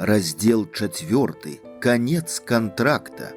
Раздел 4. Конец контракта.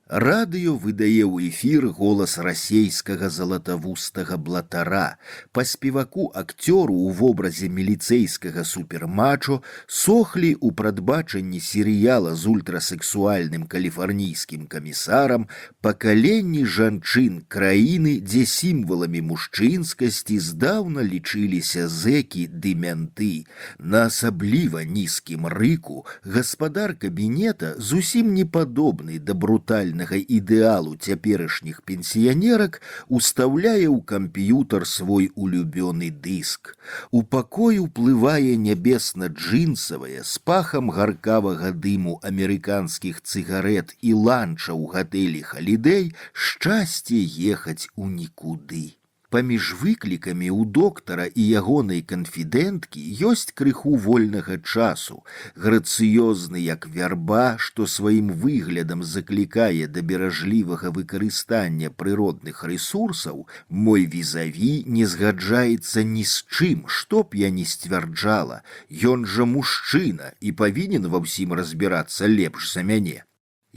Радыё выдае ў эфір голас расейскага залатавустага блатара. Па спеваку-акцёру ў вобразе міліцэйскага супермачо сохлі ў прадбачанні серыяла з ультрасексуальным каліфарнійскім камісарам пакаленні жанчын краіны, дзе сімваламі мужчынскасці здаўна лічыліся зэкі ды мянты. На асабліва нізкім рыку гаспадар кабінета зусім не падобны да брутальнага ідэалу цяперашніх пенсіянерак устаўляе ў камп'ютар свой улюбёны дыск. У пакой уплывае нябесна-джынсавая з пахам гаркавага дыму амерыканскіх цыгарэт і ланча ў гатэлі «Халідэй» шчасце ехаць у нікуды. Паміж выклікамі ў доктара і ягонай канфідэнткі ёсць крыху вольнага часу. Грацыёзны як вярба, што сваім выглядам заклікае да беражлівага выкарыстання прыродных рэсурсаў, мой візаві не згаджаецца ні з чым, што б я не сцвярджала. Ён жа мужчына і павінен ва ўсім разбірацца лепш за мяне.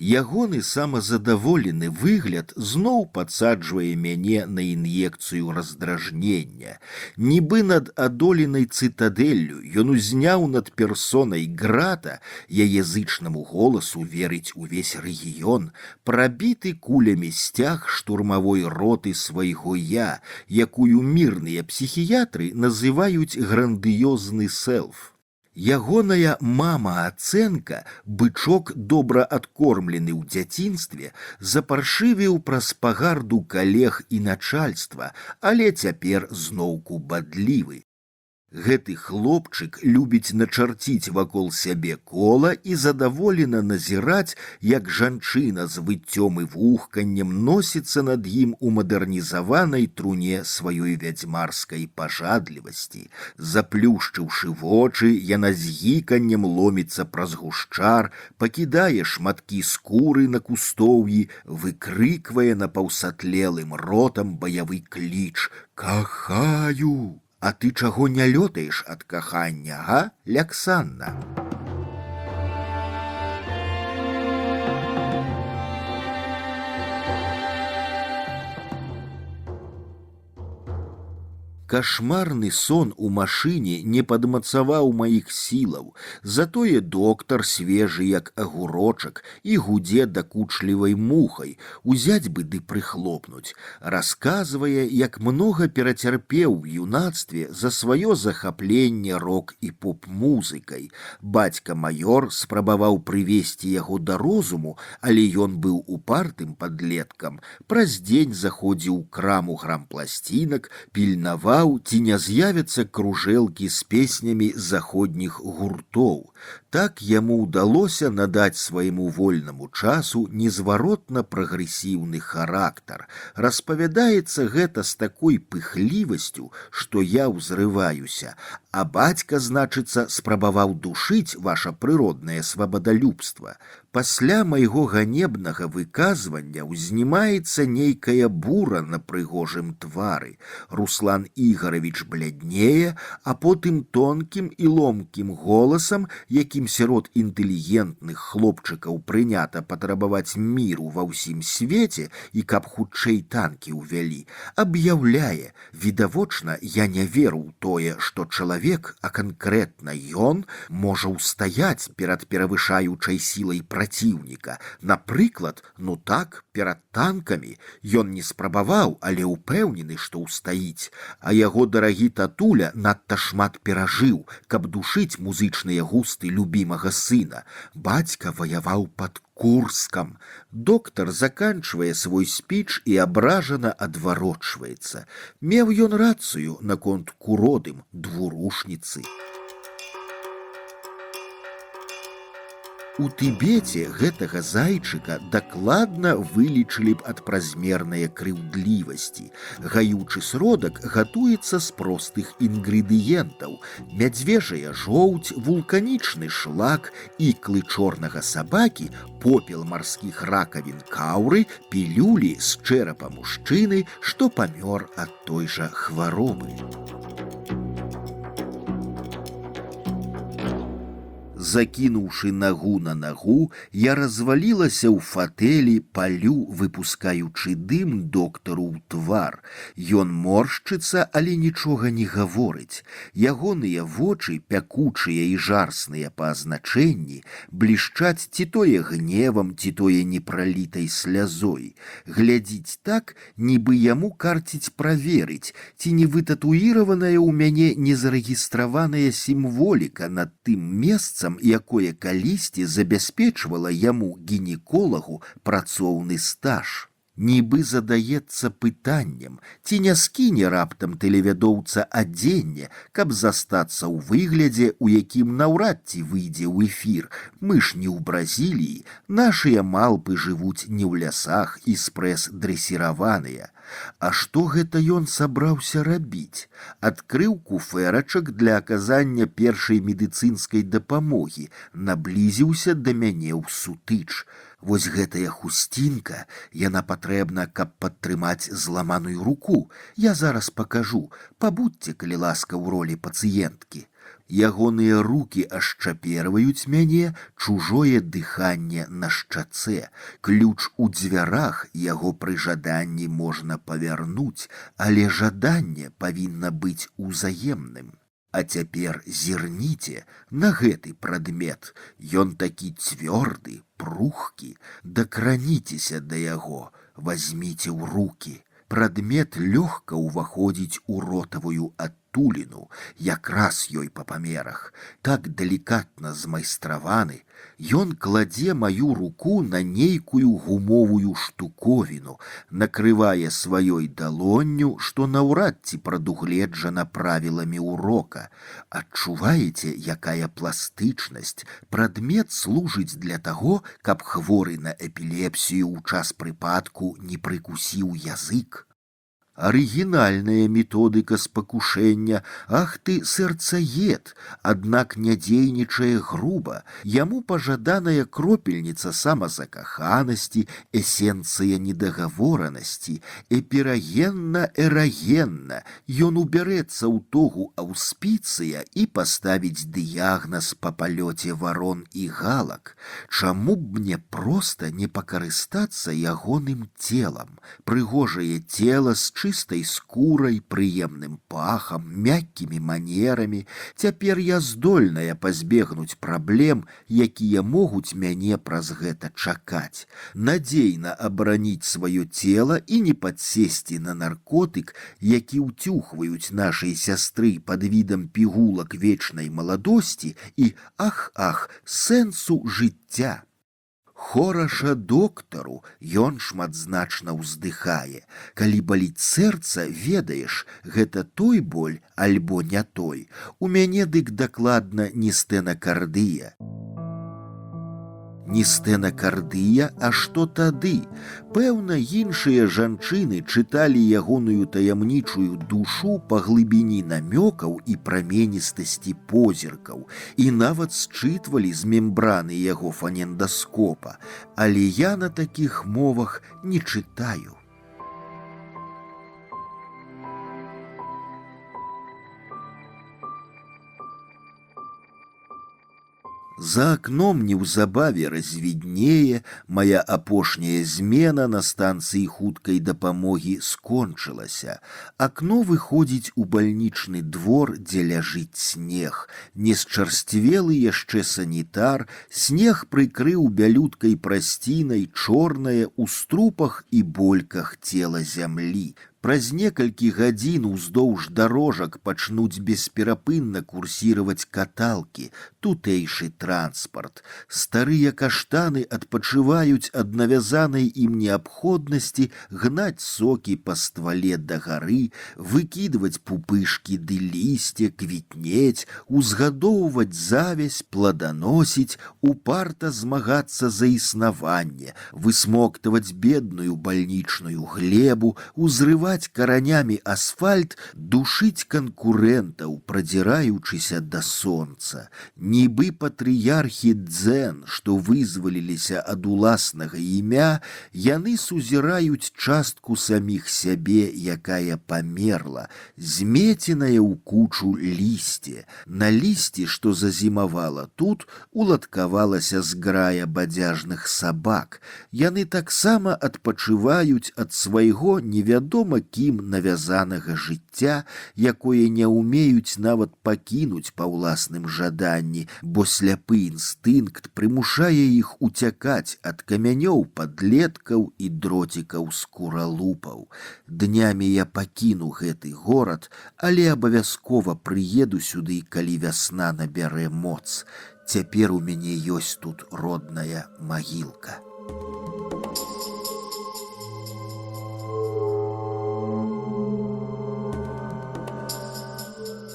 Ягоны самазадаволены выгляд зноў падсаджвае мяне на ін'екцыю раздражнення. Нібы над адоленай цытадэллю ён узняў над персонай грата, яе зычнаму голасу верыць увесь рэгіён, прабіты кулямі сцяг штурмавой роты свайго я, якую мірныя псіхіятры называюць грандыёзны селф. Ягоная мама-ацэнка, бычок добра адкормлены ў дзяцінстве, запаршывіў праз пагарду калег і начальства, але цяпер зноўку бадлівы. Гэты хлопчык любіць начарціць вакол сябе кола і задаволена назіраць, як жанчына з выццём і вухканнем носіцца над ім у мадэрнізаванай труне сваёй вядзьмарскай пажадлівасці. Заплюшчыўшы вочы, яна з гіканнем ломіцца праз гушчар, пакідае шматкі скуры на кустоўі, выкрыквае напаўсатлелым ротам баявы кліч «Кахаю!». А ты чаго не лётаеш ад кахання, га, Ляксанна? Кашмарны сон у машыне не падмацаваў маіх сілаў, затое доктар свежы як агурочак і гудзе дакучлівай мухай, узяць бы ды прыхлопнуць. Расказвае, як многа перацярпеў у юнацтве за сваё захапленне рок і поп-музыкай. Бацька-маёр спрабаваў прывесці яго да розуму, але ён быў упартым падлеткам. Праз дзень заходзіў у краму грампласцінак, пільнаваў, ці не з'явяцца кружэлкі з песнямі заходніх гуртоў. Так яму ўдалося надаць свайму вольнаму часу незваротна прагрэсіўны характар. Распавядаецца гэта з такой пыхлівасцю, што я ўзрываюся. А бацька, значыцца, спрабаваў душыць ваша прыроднае свабадалюбства. Пасля майго ганебнага выказвання ўзнімаецца нейкая бура на прыгожым твары. Руслан Ігорович бляднее, а потым тонкім і ломкім голасам, якім сярод інтэлігентных хлопчыкаў прынята патрабаваць міру ва ўсім свеце і каб хутчэй танкі ўвялі, аб'яўляе: відавочна, я не веру ў тое, што чалавек, а канкрэтна ён, можа ўстаяць перад перавышаючай сілай праціўніка. Напрыклад, ну так, перад танкамі. Ён не спрабаваў, але ўпэўнены, што ўстаіць. А яго дарагі татуля надта шмат перажыў, каб душыць музычныя густы любімага сына. Бацька ваяваў пад Курскам. Доктар заканчвае свой спіч і абражана адварочваецца. Меў ён рацыю наконт куродым двурушніцы. У Тыбеце гэтага зайчыка дакладна вылічылі б ад празмернае крыўдлівасці. Гаючы сродак гатуецца з простых інгрэдыентаў: мядзвежая жоўць, вулканічны шлак, іклы чорнага сабакі, попел марскіх ракавін каўры, пілюлі з чэрапа мужчыны, што памёр ад той жа хваробы. Закінуўшы нагу на нагу, я развалілася ў фатэлі, палю, выпускаючы дым доктару ў твар. Ён моршчыцца, але нічога не гаворыць. Ягоныя вочы, пякучыя і жарсныя па азначэнні, блішчаць ці тое гневам, ці тое непралітай слязой. Глядзіць так, нібы яму карціць праверыць, ці не вытатуіраваная ў мяне незарэгістраваная сімволіка над тым месцам, якое калісьці забяспечвала яму гінеколагу працоўны стаж. Нібы задаецца пытаннем, ці не скіне раптам тэлевядоўца адзенне, каб застацца ў выглядзе, у якім наўрад ці выйдзе ў эфір. Мы ж не ў Бразіліі, нашыя малпы жывуць не ў лясах і спрэс-дрэсіраваныя. А што гэта ён сабраўся рабіць? Адкрыў куфэрачак для аказання першай медыцынскай дапамогі, наблізіўся да мяне ў сутыч. Вось гэтая хусцінка, яна патрэбна, каб падтрымаць зламаную руку. Я зараз пакажу, пабудзьце, калі ласка, ў ролі пацыенткі. Ягоныя рукі ашчаперваюць мяне, чужое дыханне на шчацэ. Ключ у дзвярах, яго пры жаданні можна павярнуць, але жаданне павінна быць узаемным. А цяпер зірніце на гэты прадмет. Ён такі цвёрды, прухкі. Дакраніцеся да яго, вазьміце ў рукі. Прадмет лёгка ўваходзіць у ротавую адтуліну, якраз ёй па памерах, так далікатна змайстраваны. Ён кладзе маю руку на нейкую гумовую штуковіну, накрывае сваёй далонню, што наўрад ці прадугледжана правіламі ўрока. Адчуваеце, якая пластычнасць? Прадмет служыць для таго, каб хворы на эпілепсію ў час прыпадку не прыкусіў язык. Арыгінальная методыка спакушэння, ах ты, сэрцаед, аднак не дзейнічае груба. Яму пажаданая кропельніца самазакаханасці, эсенцыя недагаворанасці, эпірагенна-эрагенна. Ён убярэцца ў тогу аўспіцыя і паставіць дыягназ па палёце варон і галак. Чаму б мне проста не пакарыстацца ягоным целам? Прыгожае цела з чыстай скурай, прыемным пахам, мяккімі манерамі. Цяпер я здольная пазбегнуць праблем, якія могуць мяне праз гэта чакаць. Надзейна абараніць сваё цела і не падсесці на наркотык, які ўцюхваюць нашай сястры пад відам пігулак вечнай маладосці і, ах, сэнсу жыцця. Хораша доктару, ён шматзначна ўздыхае. Калі баліць сэрца, ведаеш, гэта той боль альбо не той. У мяне дык дакладна не стэнакардыя. Не стэнакардыя, а што тады? Пэўна, іншыя жанчыны чыталі ягоную таямнічую душу па глыбіні намёкаў і праменістасці позіркаў і нават счытвалі з мембраны яго фонендаскопа, але я на такіх мовах не чытаю. За акном неўзабаве развіднее, мая апошняя змена на станцыі хуткай дапамогі скончылася. Акно выходзіць у бальнічны двор, дзе ляжыць снег. Несчарсцвелы яшчэ санітар, снег прыкрыў бялюткай прасцінай чорнае ў струпах і больках цела зямлі. Праз некалькі гадзін уздоўж дарожак пачнуць бесперапынна курсіраваць каталкі, тутэйшы транспарт. Старыя каштаны адпачываюць ад навязанай ім неабходнасці гнаць сокі па ствале да гары, выкідваць пупышкі ды лісце, квітнець, узгадоўваць завязь, пладаносіць, упарта змагацца за існаванне, высмоктаваць бедную бальнічную глебу, узрываць абрываць каранямі асфальт, душыць канкурэнтаў, прадзіраючыся да сонца. Нібы патрыярхі дзен, што вызваліліся ад уласнага імя, яны сузіраюць частку саміх сябе, якая памерла, змеценая ў кучу лісце. На лісці, што зазімавала тут, уладкавалася зграя бадзяжных сабак. Яны таксама адпачываюць ад свайго невядома кім навязанага жыцця, якое не ўмеюць нават пакінуць па ўласным жаданні, бо сляпы інстынкт прымушае іх уцякаць ад камянёў падлеткаў і дроцікаў скуралупаў. Днямі я пакіну гэты горад, але абавязкова прыеду сюды, калі вясна набярэ моц. Цяпер у мяне ёсць тут родная магілка.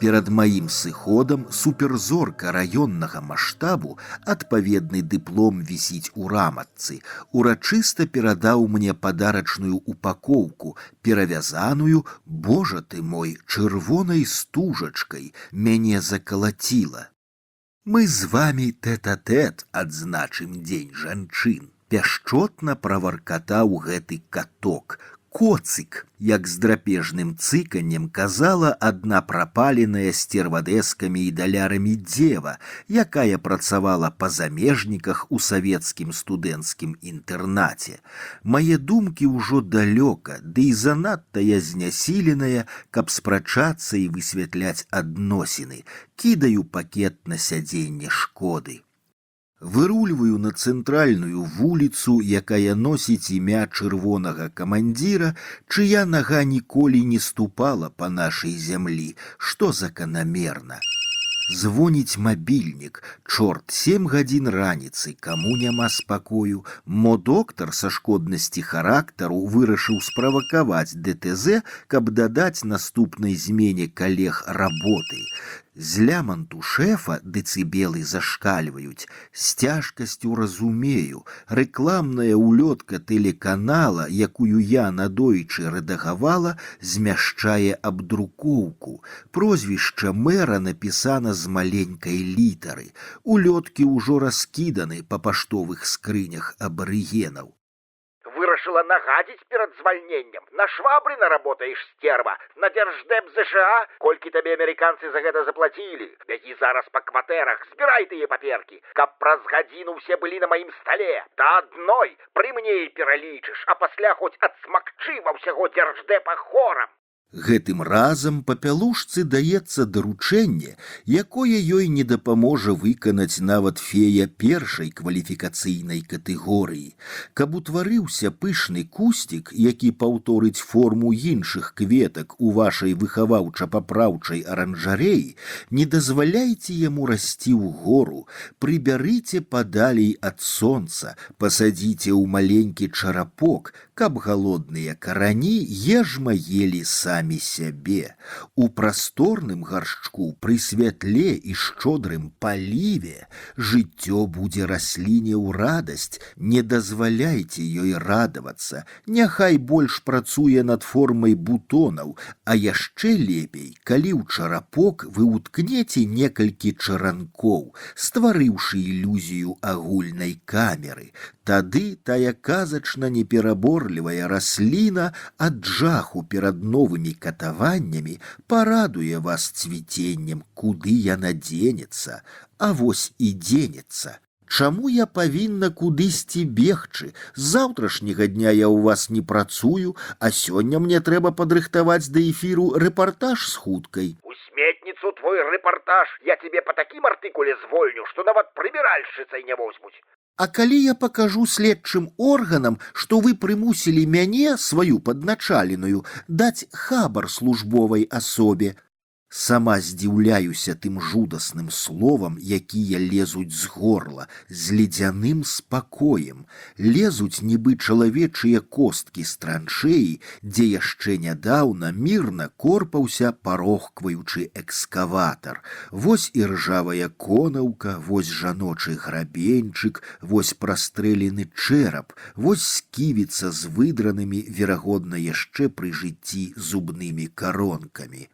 Перад маім сыходам суперзорка раённага маштабу, адпаведны дыплом вісіць у раматцы, урачыста перадаў мне падарачную упакоўку, перавязаную, божа ты мой, чырвонай стужачкай, мяне закалаціла. Мы з вамі тэт-а-тэт адзначым дзень жанчын. Пяшчотна праваркатаў гэты каток. Коцык, як з драпежным цыканнем казала адна прапаленая стервадэскамі і далярамі дзева, якая працавала па замежніках у савецкім студэнцкім інтэрнаце. Мае думкі ўжо далёка, ды і занадта я знясіленая, каб спрачацца і высвятляць адносіны. Кідаю пакет на сядзенне шкоды. Вырульваю на цэнтральную вуліцу, якая носіць імя чырвонага камандзіра, чыя нага ніколі не ступала па нашай зямлі, што заканамерна. Звоніць мабільнік, чорт, 7 гадзін раніцы, каму няма спакою. Мо доктар са шкоднасці характару вырашыў справакаваць ДТЗ, каб дадаць наступнай змене калег работы. З ляманту шэфа дэцыбелы зашкальваюць. З цяжкасцю разумею, рэкламная улётка тэлеканала, якую я надойчы рэдагавала, змяшчае абдрукоўку. Прозвішча мэра напісана з маленькай літары. Улёткі ўжо раскіданы па паштовых скрынях абарыгенаў. Вырашила нагадить перед звольнением. На Швабрина работаешь, стерва. На Держдеп США. Кольки тебе американцы за это заплатили? Беги зараз по кватэрах, збирай тыя паперки. Каб праз гадзіну все были на моим столе. Да одной при мне и пералічыш, а пасля хоть отсмакчы во всего Держдепа хором. Гэтым разам папялушцы даецца даручэнне, якое ёй не дапаможа выканаць нават фея першай кваліфікацыйнай катэгорыі. Каб утварыўся пышны кусцік, які паўторыць форму іншых кветак у вашай выхаваўча-папраўчай аранжарэі, не дазваляйце яму расці ўгору, прыбярыце падалей ад сонца, пасадзіце ў маленькі чарапок, каб галодныя карані ежма елі самі сябе. У прасторным гаршчку пры святле і шчодрым паліве жыццё будзе расліне ў радасць, не дазваляйце ёй радавацца, няхай больш працуе над формай бутонаў, а яшчэ лепей, калі ў чарапок вы уткнеце некалькі чаранкоў, стварыўшы ілюзію агульнай камеры. Тады тая казачна непераборлівая расліна ад жаху перад новымі катаваннямі парадуе вас цвіценнем, куды яна дзенецца, а вось і дзенецца. Чаму я павінна кудысьці бегчы? З заўтрашняга дня я ў вас не працую, а сёння мне трэба падрыхтаваць да эфіру рэпартаж з хуткай. У сметніцу твой рэпартаж я тебе по таким артыкуле звольню, што нават прыбіральшчыцай не возьмуць. А калі я пакажу следчым органам, што вы прымусілі мяне, сваю падначаленую, даць хабар службовай асобе, Сама здзіўляюся тым жудасным словам, якія лезуць з горла, з ледзяным спакоем. Лезуць нібы чалавечыя косткі з траншэі, дзе яшчэ нядаўна мірна корпаўся, парохкваючы экскаватар. Вось і ржавая конаўка, вось жаночы грабеньчык, вось прастрэлены чэрап, вось сківіца з выдранымі, верагодна, яшчэ пры жыцці зубнымі каронкамі.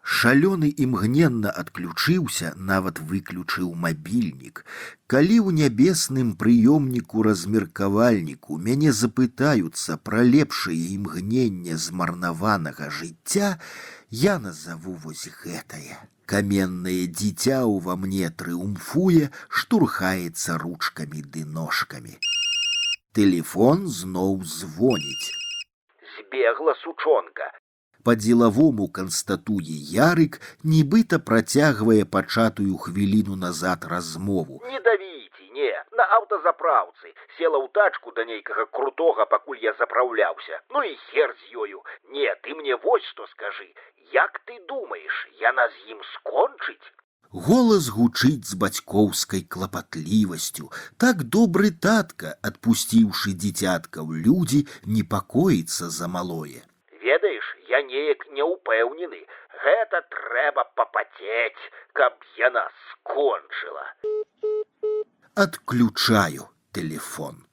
Шалёны імгненна адключыўся, нават выключыў мабільнік. Калі ў нябесным прыёмніку размеркавальніку мяне запытаюцца пра лепшае імгненне змарнаванага жыцця, я назаву вось гэтае. Каменнае дзіця ўва мне трыумфуе, штурхаецца ручкамі ды ножкамі. Тэлефон зноў звоніць. Збегла сучонка. Па-дзелавому канстатуе Ярык, нібыта працягвае пачатую хвіліну назад размову. Не давіце, не, на аўтазапраўцы. Села ў тачку да нейкага крутога, пакуль я запраўляўся. Ну і хер з ёю. Не, ты мне вось што скажы. Як ты думаеш, яна з ім скончыць? Голас гучыць з бацькоўскай клапатлівасцю. Так добры татка, адпусціўшы дзіцятка ў людзі, непакоіцца за малое. Ведаеш, я неяк не ўпэўнены. Гэта трэба папацець, каб яна скончыла. Адключаю тэлефон.